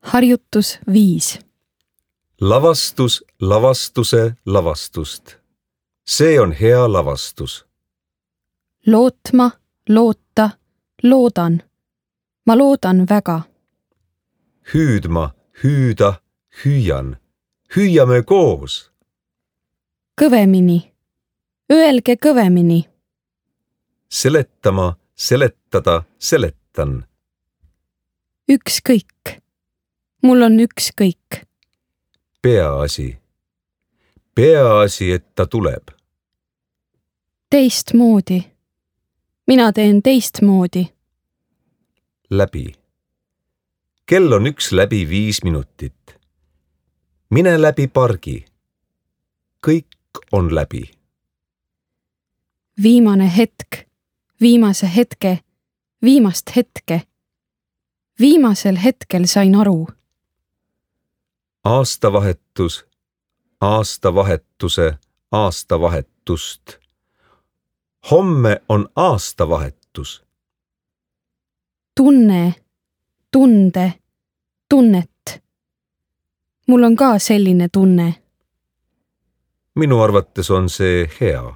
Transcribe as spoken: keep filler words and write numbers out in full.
Harjutus viis. Lavastus lavastuse lavastust. See on hea lavastus. Lootma, loota, loodan. Ma loodan väga. Hüüdma, hüüda, hüüan. Hüüame koos. Kõvemini. Öelge kõvemini. Seletama, seletada, seletan. Ükskõik. Mul on ükskõik. Peaasi. Peaasi, et ta tuleb. Teistmoodi. Mina teen teistmoodi. Läbi. Kell on üks läbi viis minutit. Mine läbi pargi. Kõik on läbi. Viimane hetk. Viimase hetke. Viimast hetke. Viimasel hetkel sain aru. Aastavahetus. Aastavahetuse. Aastavahetust. Homme on aastavahetus. Tunne. Tunde. Tunnet. Mul on ka selline tunne. Minu arvates on see hea.